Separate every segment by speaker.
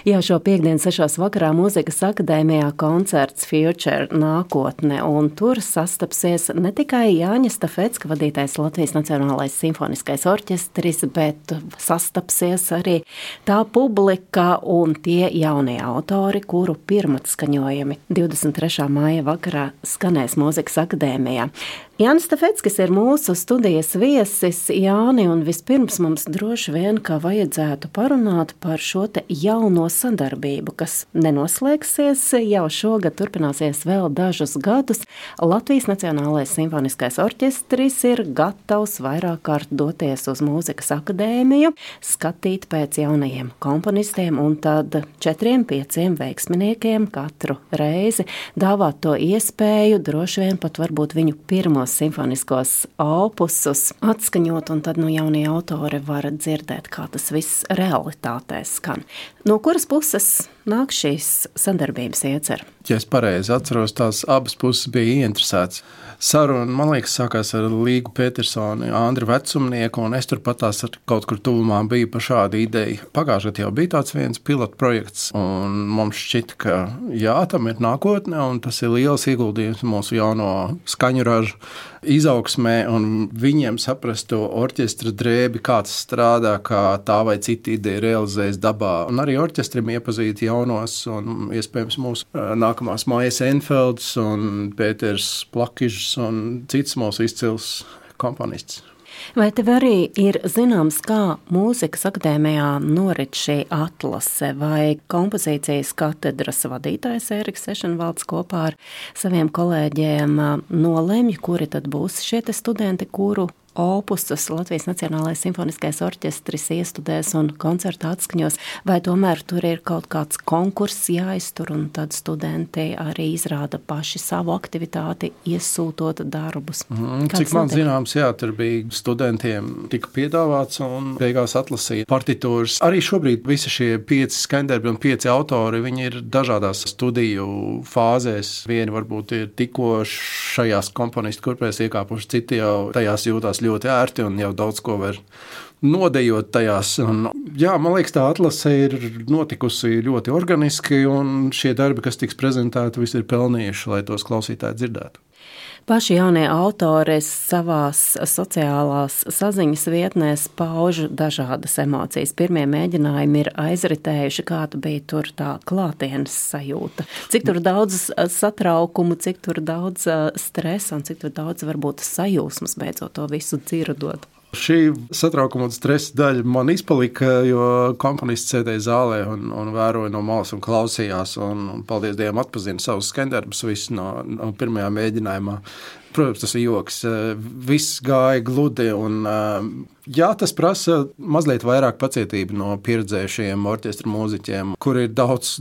Speaker 1: Jā, šo piektdienu 6. vakarā Mūzikas akadēmijā koncerts Future nākotne, un tur sastapsies ne tikai Jāņa Stafecka vadītais Latvijas Nacionālais simfoniskais orķestris, bet sastapsies arī tā publika un tie jaunie autori, kuru pirmatskaņojumi 23. māja vakarā skanēs Mūzikas akadēmijā. Jānis Stafeckis ir mūsu studijas viesis. Jāni, un vispirms mums droši vien, ka vajadzētu parunāt par šo te jauno sadarbību, kas nenoslēgsies, jau šogad turpināsies vēl dažus gadus. Latvijas Nacionālais simfoniskais orķestris ir gatavs vairāk kārt doties uz Mūzikas akadēmiju, skatīt pēc jaunajiem komponistiem un tad 4-5 veiksminiekiem katru reizi dāvāt to iespēju, droši vien pat varbūt viņu pirmo simfoniskos opusus atskaņot, un tad jaunie autori var dzirdēt, kā tas viss realitātē skan. No kuras puses nāk šīs sadarbības iecer?
Speaker 2: Ja es pareizi atceros, tās abas puses bija ieinteresētas. Saruna, man liekas, sākās ar Līgu Petersoni, Andru Vecumnieku, un es turpat tās kaut kur tuvumā biju par šādu ideju. Pagājušajā gadā jau bija tāds viens pilotprojekts, un mums šķita, ka jā, tam ir nākotne, un tas ir liels ieguldījums mūsu jauno skaņu ražu izaugsmē, un viņiem saprast to orķestra drēbi, kāds strādā, kā tā vai cita ideja realizējas dabā, un arī orķestrim iepazīt jaunos, un iespējams mūsu nākamās Maijas Enfelds un Pēters Plakižs un cits mūsu izcils komponists.
Speaker 1: Vai tev arī ir zināms, kā Mūzikas akadēmijā norit šī atlase, vai kompozīcijas katedras vadītājs Ēriks Ešenvalds kopā ar saviem kolēģiem nolemj, kuri tad būs šie te studenti, kuru opusus Latvijas Nacionālais simfoniskais orķestris iestudēs un koncertu atskaņos, vai tomēr tur ir kaut kāds konkurss jāiztur un tad studenti arī izrāda paši savu aktivitāti, iesūtot darbus?
Speaker 2: Cik man zināms, jā, tur bija studentiem tika piedāvāts un beigās atlasīja partitūras. Arī šobrīd visi šie 5 skaņdarbi un 5 autori, viņi ir dažādās studiju fāzēs. Vieni varbūt ir tikko šajās komponistu kurpēs iekāpuši, citi jau tajās jūtās ļoti ērti un jau daudz ko var nodejot tajās. Un, jā, man liekas, tā atlase ir notikusi ļoti organiski, un šie darbi, kas tiks prezentēti, visi ir pelnījuši, lai tos klausītāji dzirdētu.
Speaker 1: Paši jaunie autori savās sociālās saziņas vietnēs pauž dažādas emocijas. Pirmie mēģinājumi ir aizritējuši, kāda bija tur tā klātienes sajūta. Cik tur daudz satraukumu, cik tur daudz stresa un cik tur daudz varbūt sajūsmas beidzot to visu dzirdot.
Speaker 2: Šī satraukuma un stresa daļa man izpalika, jo komponists sēdēja zālē un vēroja no malas un klausījās, un paldies Dievam atpazina savus skaņdarbus visu no pirmajā mēģinājumā. Protams, tas ir joks. Viss gāja gludi, un jā, tas prasa mazliet vairāk pacietību no pieredzējušiem orķestra mūziķiem, kuri ir daudz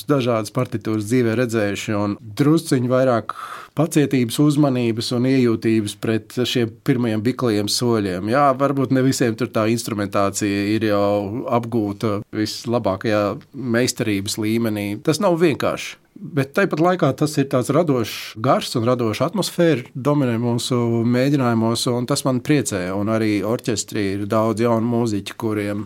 Speaker 2: dažādas partitūras dzīvē redzējuši, un drusciņi vairāk pacietības, uzmanības un iejūtības pret šiem pirmajiem biklajiem soļiem. Jā, varbūt ne visiem tur tā instrumentācija ir jau apgūta vislabākajā meistarības līmenī. Tas nav vienkārši. Bet tāpat laikā tas ir tāds radošs gars un radoša atmosfēra dominē mūsu mēģinājumos, un tas man priecē. Un arī orķestrī ir daudz jaunu mūziķu, kuriem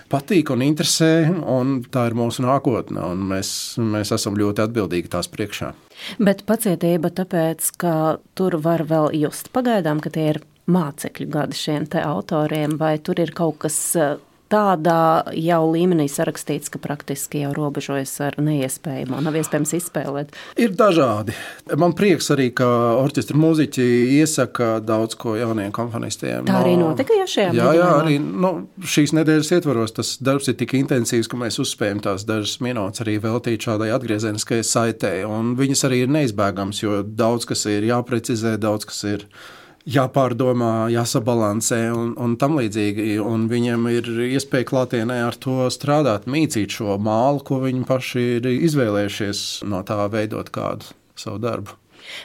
Speaker 2: patīk un interesē, un tā ir mūsu nākotne, un mēs esam ļoti atbildīgi tās priekšā.
Speaker 1: Bet pacietība tāpēc, ka tur var vēl just pagaidām, ka tie ir mācekļu gadi šiem te autoriem, vai tur ir kaut kas tādā jau līmenī sarakstīts, ka praktiski jau robežojas ar neiespējamo, nav iespējams izspēlēt?
Speaker 2: Ir dažādi. Man prieks arī, ka orķestra mūziķi iesaka daudz ko jauniem komponistiem.
Speaker 1: Tā arī notika jau šajā mēģinājumā?
Speaker 2: Jā, arī šīs nedēļas ietvaros tas darbs ir tik intensīvs, ka mēs uzspējam tās dažas minūtes arī veltīt šādai atgriezeniskai saitei, un viņas arī ir neizbēgams, jo daudz kas ir jāprecizē, daudz kas ir jāpārdomā, jāsabalansē un tam līdzīgi, un viņiem ir iespēja klātienē ar to strādāt, mīcīt šo mālu, ko viņi paši ir izvēlējušies no tā veidot kādu savu darbu.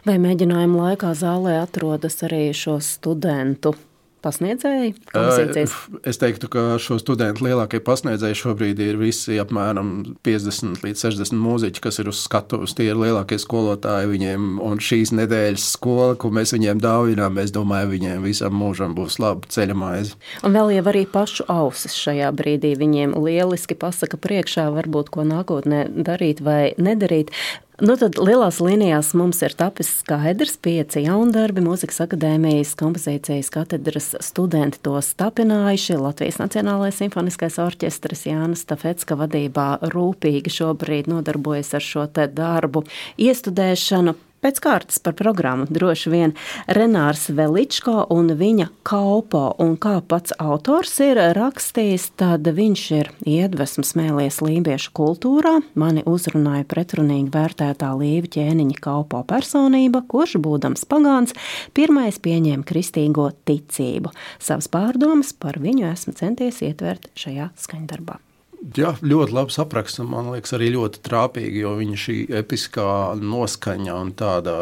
Speaker 1: Vai mēģinājuma laikā zālē atrodas arī šo studentu pasniedzēji kompozīcijas?
Speaker 2: Es teiktu, ka šo studentu lielākie pasniedzēji šobrīd ir visi apmēram 50 līdz 60 mūziķi, kas ir uz skatuves. Tie ir lielākie skolotāji viņiem, un šīs nedēļas skola, ko mēs viņiem dāvinām, es domāju, viņiem visam mūžam būs laba ceļamaize.
Speaker 1: Un vēl jau arī pašu ausis šajā brīdī viņiem lieliski pasaka priekšā, varbūt ko nākotnē darīt vai nedarīt. Nu tad lielās līnijās mums ir tapis skaidrs 5 jaundarbi, Mūzikas akadēmijas kompozīcijas katedras studenti tos tapinājuši, Latvijas Nacionālais simfoniskais orķestris Jānis Stafecka vadībā rūpīgi šobrīd nodarbojas ar šo te darbu iestudēšanu. Pēc kārtas par programmu droši vien Renārs Veličko un viņa Kaupo, un kā pats autors ir rakstījis, tad viņš ir iedvesmas mēlies lībiešu kultūrā. Mani uzrunāja pretrunīgi vērtētā Līva Ķēniņa Kaupo personība, kurš, būdams pagāns, pirmais pieņēma kristīgo ticību. Savas pārdomas par viņu esmu centies ietvert šajā skaņdarbā.
Speaker 2: Jā, ļoti labs apraksts, un man liekas arī ļoti trāpīgi, jo viņa šī episkā noskaņa un tāda,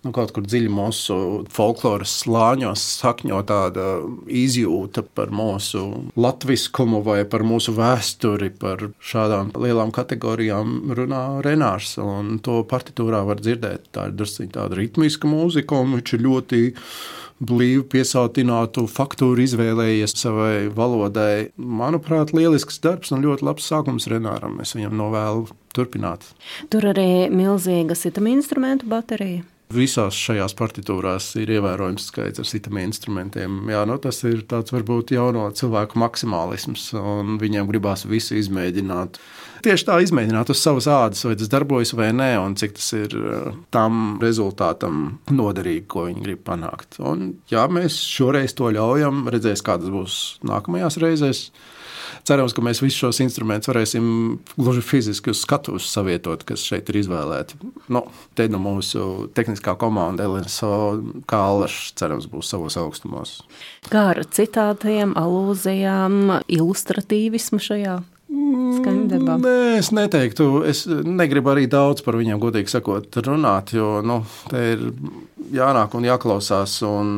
Speaker 2: kaut kur dziļi mūsu folkloras slāņos sakņo tāda izjūta par mūsu latviskumu vai par mūsu vēsturi, par šādām lielām kategorijām runā Renārs, un to partitūrā var dzirdēt. Tā ir drusciņ tāda ritmiska mūzika, un viņš ir ļoti blīvi piesautinātu faktūru izvēlējies savai valodai. Manuprāt, lielisks darbs un ļoti labs sākums Renāram. Es viņam novēlu turpināt.
Speaker 1: Tur arī milzīga sitama instrumentu baterija.
Speaker 2: Visās šajās partitūrās ir ievērojams skaits ar sitama instrumentiem. Jā, tas ir tāds varbūt jauno cilvēku maksimālisms, un viņiem gribās visu izmēģināt. Tieši tā izmēģināt uz savas ādas, vai tas darbojas vai nē, un cik tas ir tam rezultātam noderīgi, ko viņi grib panākt. Un jā, mēs šoreiz to ļaujam, redzēs, kādas būs nākamajās reizēs. Cerams, ka mēs visus šos instrumentus varēsim gluži fiziski uz skatuves savietot, kas šeit ir izvēlēti. Te mūsu tehniskā komanda LNSO Kālašs, cerams, būs savos augstumos.
Speaker 1: Kā ar citātiem, alūzijām, ilustratīvismu šajā skaņdarbā?
Speaker 2: Nē, es neteiktu. Es negribu arī daudz par viņiem, godīgi sakot, runāt, jo te ir jānāk un jāklausās un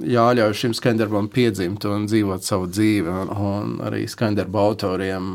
Speaker 2: jāļauj šim skaņdarbam piedzimt un dzīvot savu dzīvi, un arī skaņdarba autoriem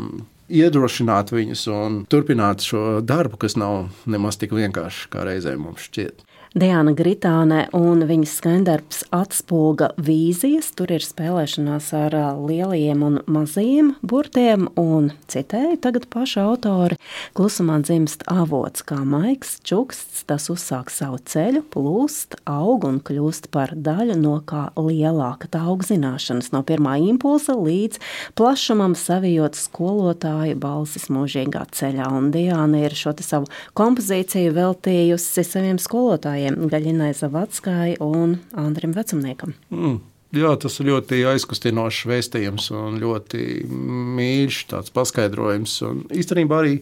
Speaker 2: iedrošināt viņus un turpināt šo darbu, kas nav nemaz tik vienkārši, kā reizēm mums šķiet.
Speaker 1: Diana Gritāne un viņas skaņdarbs Atspulga vīzijas. Tur ir spēlēšanās ar lielajiem un mazajiem burtiem, un citēju tagad paša autori: klusumā dzimst avots kā maigs čuksts, tas uzsāk savu ceļu, plūst, aug un kļūst par daļu no kā lielāka. Tā aug zināšanas no pirmā impulsa līdz plašumam, savijot skolotāju balsis mūžīgā ceļā. Un Diana ir šo te savu kompozīciju veltījusi saviem skolotājiem, Gaļinai Zavackai un Andrim Vecumniekam.
Speaker 2: Jā, tas ir ļoti aizkustinošs vēstījums un ļoti mīļš tāds paskaidrojums. Un īstenībā arī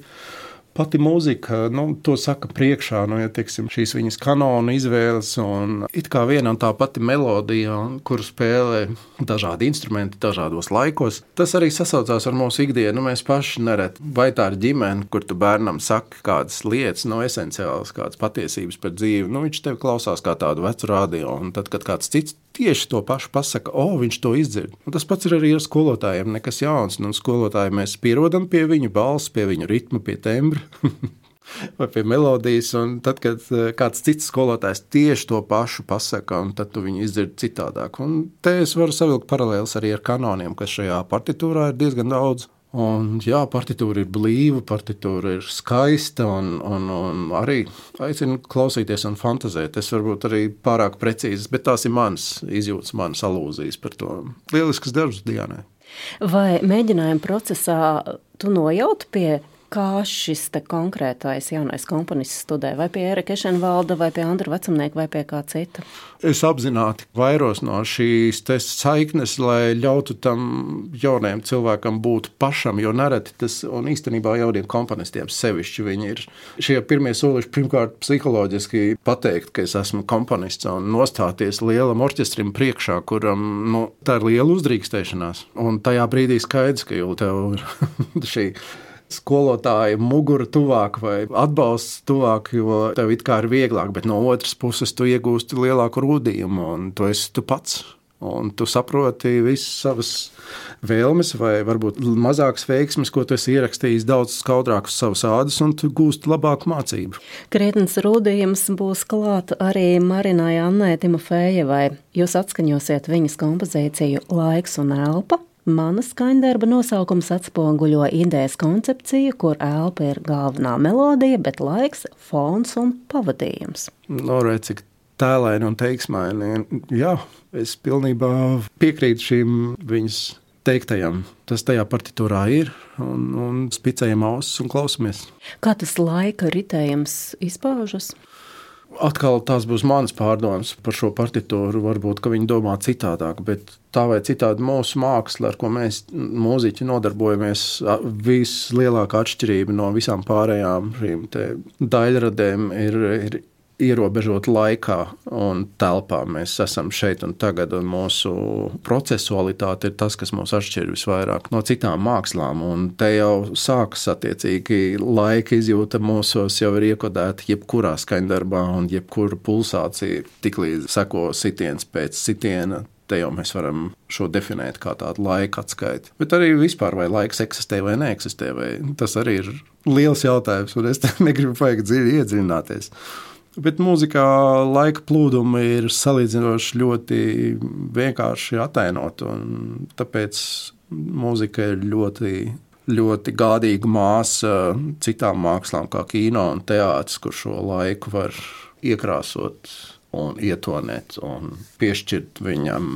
Speaker 2: pati mūzika, to saka priekšā, ja teiksim, šīs viņas kanonu izvēles un it kā viena un tā pati melodija, kuru spēlē dažādi instrumenti dažādos laikos. Tas arī sasaucās ar mūsu ikdienu. Mēs paši nereti, vai tā ir ģimene, kur tu bērnam saki kādas lietas, esenciālas, kādas patiesības par dzīvi. Viņš tev klausās kā tādu vecu radio, un tad, kad kāds cits tieši to pašu pasaka, viņš to izdzird. Un tas pats ir arī ar skolotājiem, nekas jauns. Un skolotāji mēs pierodam pie viņu balss, pie viņu ritma, pie tembra vai pie melodijas. Un tad, kad kāds cits skolotājs tieši to pašu pasaka, un tad tu viņu izdzird citādāk. Un te es varu savilkt paralēlis arī ar kanoniem, kas šajā partitūrā ir diezgan daudz. Un jā, partitūra ir blīva, partitūra ir skaista un arī aicinu klausīties un fantazēt. Es varbūt arī pārāk precīzes, bet tās ir manas izjūtas, manas alūzijas par to. Lielisks darbs Dianai.
Speaker 1: Vai mēģinājuma procesā tu nojauti pie kā šis te konkrētais jaunais komponists studē? Vai pie Ērika Ešenvalda, vai pie Andra Vecumnieka, vai pie kā cita?
Speaker 2: Es apzināti vairos no šīs saiknes, lai ļautu tam jaunajam cilvēkam būt pašam, jo nereti tas, un īstenībā jauniem komponistiem sevišķi viņi ir šie pirmie soliši, pirmkārt psiholoģiski pateikt, ka es esmu komponists un nostāties lielam orķestrim priekšā, kuram, tā ir liela uzdrīkstēšanās. Un tajā brīdī skaidrs, ka jau tev ir šī skolotāja mugura tuvāk vai atbalsts tuvāk, jo tev it kā ir vieglāk, bet no otras puses tu iegūsti lielāku rūdījumu, un tu esi tu pats. Un tu saproti visas savas vēlmes vai varbūt mazākas veiksmes, ko tu esi ierakstījis daudz skaudrāk uz savas ādas, un tu gūsti labāku mācību.
Speaker 1: Krietnes rūdījums būs klāt arī Marinai Annai Timofejevai. Jūs atskaņosiet viņas kompozīciju Laiks un elpa. Mana skaņdarba nosaukums atspoguļo idejas koncepciju, kur elpa ir galvenā melodija, bet laiks, fons un pavadījums.
Speaker 2: Redz, cik tēlaini un teiksmaini. Jā, es pilnībā piekrītu šīm viņas teiktajam. Tas tajā partitūrā ir, un spicējam ausis un klausamies.
Speaker 1: Kā tas laika ritējums izpaužas?
Speaker 2: Atkal tās būs manas pārdomas par šo partitūru. Varbūt, ka viņi domā citādāk, bet tā vai citādi mūsu māksla, ar ko mēs mūziķi nodarbojamies, vislielākā atšķirība no visām pārējām šīm te daļradēm ir ierobežot laikā un telpā. Mēs esam šeit un tagad, un mūsu procesualitāte ir tas, kas mūs atšķir visvairāk no citām mākslām, un te jau sākas attiecīgi laika izjūta mūsos jau ir iekodēta jebkurā skaņdarbā, un jebkura pulsācija tiklīdz seko sitiens pēc sitiena. Te jau mēs varam šo definēt kā tādu laika atskaiti. Bet arī vispār, vai laiks eksistē vai neeksistē, vai tas arī ir liels jautājums, un es te negribu vajag dziļi iedziļināties. Bet mūzikā laika plūdumi ir salīdzinoši ļoti vienkārši atainot, un tāpēc mūzika ir ļoti, ļoti gādīga māsa citām mākslām kā kino un teātris, kur šo laiku var iekrāsot un ietonēt un piešķirt viņam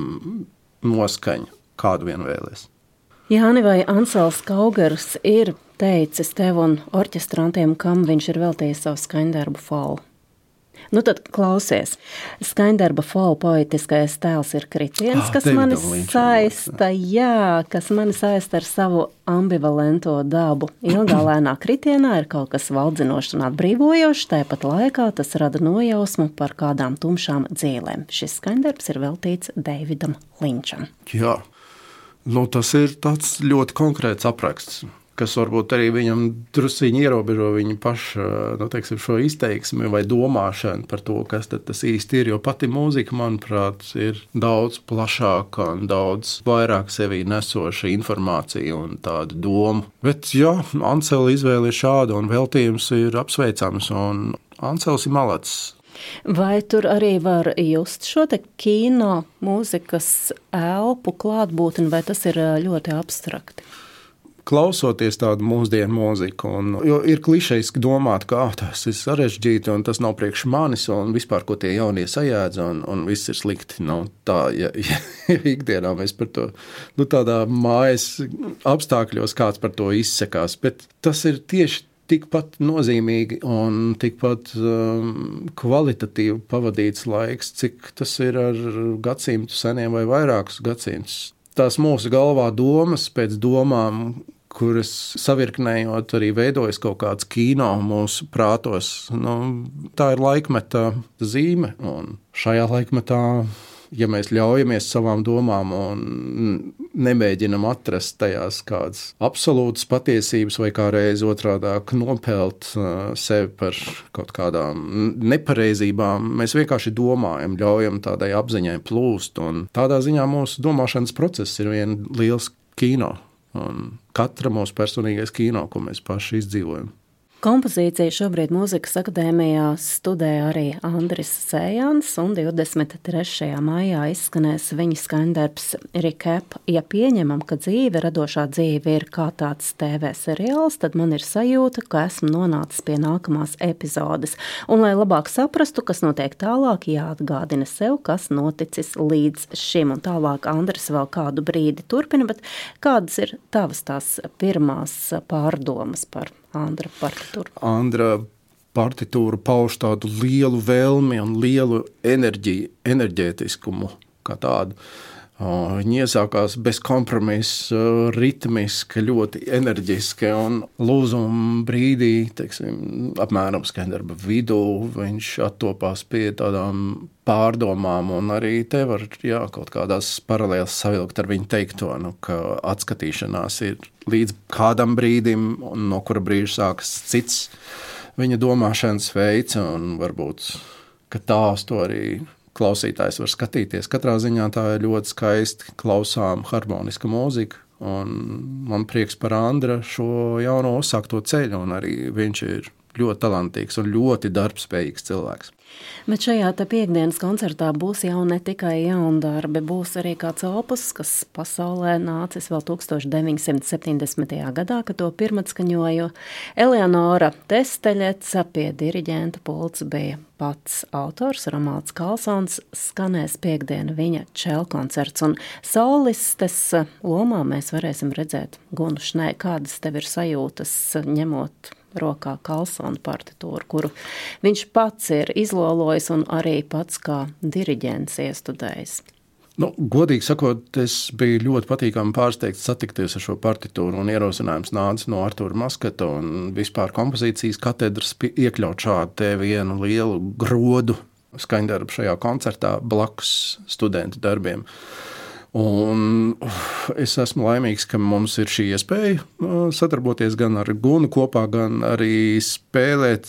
Speaker 2: noskaņu, kādu vien vēlies.
Speaker 1: Jāni, vai Ansels Kaugers ir teicis tev un orķestrantiem, kam viņš ir veltījis savu skaņdarbu Fall? Nu tad klausies. Skaņdarba Fall poetiskais tēls ir kritiens, kas mani saista ar savu ambivalento dabu. Ilgā lēnā kritienā ir kaut kas valdzinošs un atbrīvojošs, tāpat laikā tas rada nojausmu par kādām tumšām dzīlēm. Šis skaņdarbs ir veltīts Deividam Linčam.
Speaker 2: Jā, tas ir tāds ļoti konkrēts apraksts, kas varbūt arī viņam drusciņi ierobežo viņa paša, šo izteiksmi vai domāšanu par to, kas tad tas īsti ir, jo pati mūzika, manuprāt, ir daudz plašāka un daudz vairāk sevī nesoša informācija un tāda doma. Bet jā, Ansela izvēle ir šāda un veltījums ir apsveicams, un Ansels ir malacis.
Speaker 1: Vai tur arī var just šo te kino mūzikas elpu klātbūtni, vai tas ir ļoti abstrakti?
Speaker 2: Klausoties tādu mūsdienu mūziku, jo ir klišejiski domāt, ka tas ir sarežģīti un tas nav priekš manis un vispār, ko tie jaunie sajēdz un viss ir slikti. Tā, ja ikdienā mēs par to, tādā mājas apstākļos kāds par to izsekās, bet tas ir tieši tikpat nozīmīgi un tikpat kvalitatīvi pavadīts laiks, cik tas ir ar gadsimtu seniem vai vairākus gadsimtus. Tās mūsu galvā domas pēc domām, kuras savirknējot arī veidojas kaut kāds kino mūsu prātos. Tā ir laikmeta zīme, un šajā laikmetā, ja mēs ļaujamies savām domām un nemēģinam atrast tajās kādas absolūtas patiesības vai kā reiz otrādāk nopelt sevi par kaut kādām nepareizībām, mēs vienkārši domājam, ļaujam tādai apziņai plūst, un tādā ziņā mūsu domāšanas process ir viena liels kino. Un katra mūsu personīgais kino, ko mēs paši izdzīvojam.
Speaker 1: Kompozīciju šobrīd Mūzikas akadēmijā studē arī Andris Sējans, un 23. maijā izskanēs viņa skaņdarbs Recap. Ja pieņemam, ka dzīve, radošā dzīve ir kā tāds TV seriāls, tad man ir sajūta, ka esmu nonācis pie nākamās epizodes. Un, lai labāk saprastu, kas notiek tālāk, jāatgādina sev, kas noticis līdz šim. Un tālāk Andris vēl kādu brīdi turpina, bet kādas ir tavas tās pirmās pārdomas par Andra partitūru?
Speaker 2: Andra partitūra pauž tādu lielu vēlmi un lielu enerģētiskumu kā tādu. Viņa iesākās bez kompromisa, ritmiski, ļoti enerģiski, un lūzuma brīdī, apmēram skaņdarba vidū, viņš attopās pie tādām pārdomām, un arī te var kaut kādās paralēlas savilkt ar viņu teikto, ka atskatīšanās ir līdz kādam brīdim, un no kura brīža sākas cits viņa domāšanas veids, un varbūt, ka tā uz to arī klausītājs var skatīties. Katrā ziņā tā ir ļoti skaisti klausām harmoniska mūzika. Un man prieks par Andra šo jauno uzsākto ceļu, un arī viņš ir ļoti talantīgs un ļoti darbspējīgs cilvēks.
Speaker 1: Bet šajā piektdienas koncertā būs jau ne tikai jaundarbi, būs arī kāds opus, kas pasaulē nācis vēl 1970. gadā, kad to pirmatskaņoja Eleonora Testeļeca, pie diriģenta pults bija pats autors Romualds Kalsons, skanēs piektdiena viņa čelkoncerts, un solistes lomā mēs varēsim redzēt Gunu Šnē. Kādas tev ir sajūtas, ņemot rokā Kalsona partitūru, kuru viņš pats ir izlolojis un arī pats kā diriģents iestudējis?
Speaker 2: Godīgi sakot, es biju ļoti patīkami pārsteigts satikties ar šo partitūru, un ierosinājums nāca no Artūra Maskata un vispār kompozīcijas katedras iekļaut šādu te vienu lielu grodu skaņdarbu šajā koncertā blakus studentu darbiem. Un es esmu laimīgs, ka mums ir šī iespēja sadarboties gan ar Gunu kopā, gan arī spēlēt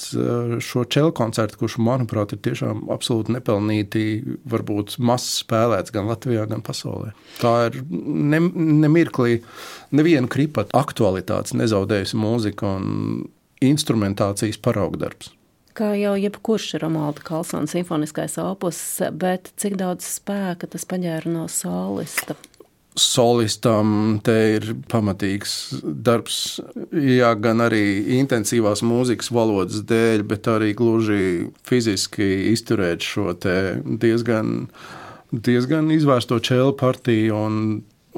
Speaker 2: šo čelu koncertu, kurš, manuprāt, ir tiešām absolūti nepelnīti, varbūt maz spēlēts gan Latvijā, gan pasaulē. Tā ir nemirklī nevienu kripatu aktualitātes nezaudējusi mūzika un instrumentācijas paraugdarbs.
Speaker 1: Kā jau jebkurš Romualda Kalsona simfoniskais opus, bet cik daudz spēka tas paģēra no solista?
Speaker 2: Solistam te ir pamatīgs darbs, jā, gan arī intensīvās mūzikas valodas dēļ, bet arī gluži fiziski izturēt šo te diezgan izvērsto čelu partiju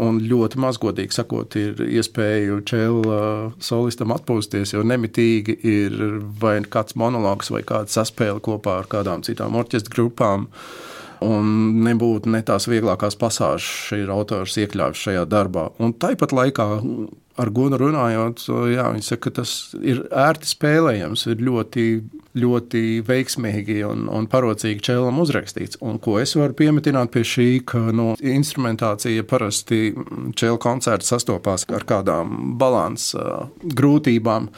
Speaker 2: un ļoti mazgodīgi sakot, ir iespēju čela solistam atpūsties, jo nemitīgi ir vai kāds monologs vai kāda saspēle kopā ar kādām citām orķestra grupām. Un nebūtu ne tās vieglākās pasāžas ir autors iekļāvis šajā darbā. Un tāpat laikā ar Gunu runājot, jā, viņš saka, ka tas ir ērti spēlējams, ir ļoti, ļoti veiksmīgi un parocīgi čelam uzrakstīts. Un ko es varu piemetināt pie šī, ka instrumentācija parasti čela koncerts sastopās ar kādām balansa grūtībām.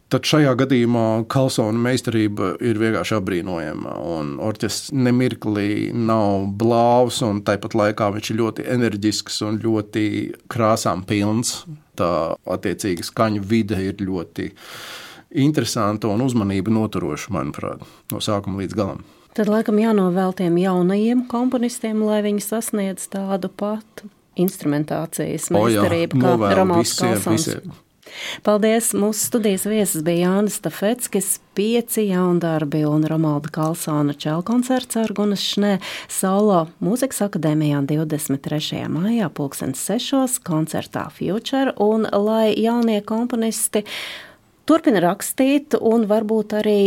Speaker 2: Tad šajā gadījumā Kalsona meistarība ir vienkārši apbrīnojama, un orķestris nemirklī nav blāvs, un tāpat laikā viņš ir ļoti enerģisks un ļoti krāsām pilns. Tā attiecīgi skaņu vide ir ļoti interesanta un uzmanība noturoša, manuprāt, no sākuma līdz galam.
Speaker 1: Tad laikam jānovēl tiem jaunajiem komponistiem, lai viņi sasniedz tādu patu instrumentācijas meistarību kā Romualds Kalsons.
Speaker 2: Visiem.
Speaker 1: Paldies! Mūsu studijas viesis bija Jānis Stafeckis, 5 jaundarbi un Romualda Kalsona čelkoncerts ar Gunas Šnē solo Mūzikas akadēmijā 23. maijā 6:00 koncertā Future, un lai jaunie komponisti turpina rakstīt un varbūt arī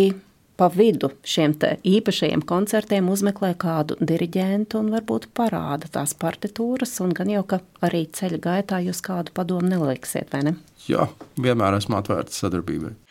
Speaker 1: pa vidu šiem te īpašajiem koncertiem uzmeklē kādu diriģentu un varbūt parāda tās partitūras, un gan jau, ka arī ceļa gaitā jūs kādu padomu neliksiet, vai ne?
Speaker 2: Jā, vienmēr esmu atvērts sadarbībai.